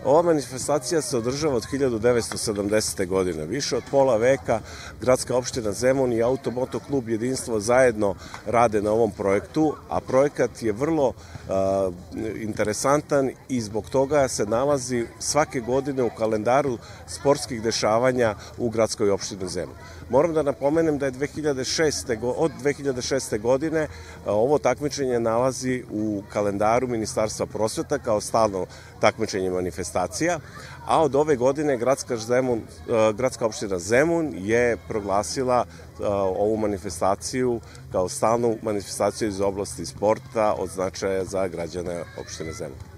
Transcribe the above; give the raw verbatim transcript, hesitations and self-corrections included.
Ova manifestacija se održava od hiljadu devetsto sedamdesete. godine. Više od pola veka Gradska opština Zemun i Automoto klub Jedinstvo zajedno rade na ovom projektu, a projekat je vrlo uh, interesantan i zbog toga se nalazi svake godine u kalendaru sportskih dešavanja u Gradskoj opštini Zemun. Moram da napomenem da je dve hiljade šeste. od dve hiljade šeste. godine ovo takmičenje nalazi u kalendaru Ministarstva prosveta kao stalno takmičenje manifestacija, a od ove godine Gradska, Zemun, Gradska opština Zemun je proglasila ovu manifestaciju kao stalnu manifestaciju iz oblasti sporta od značaja za građane opštine Zemun.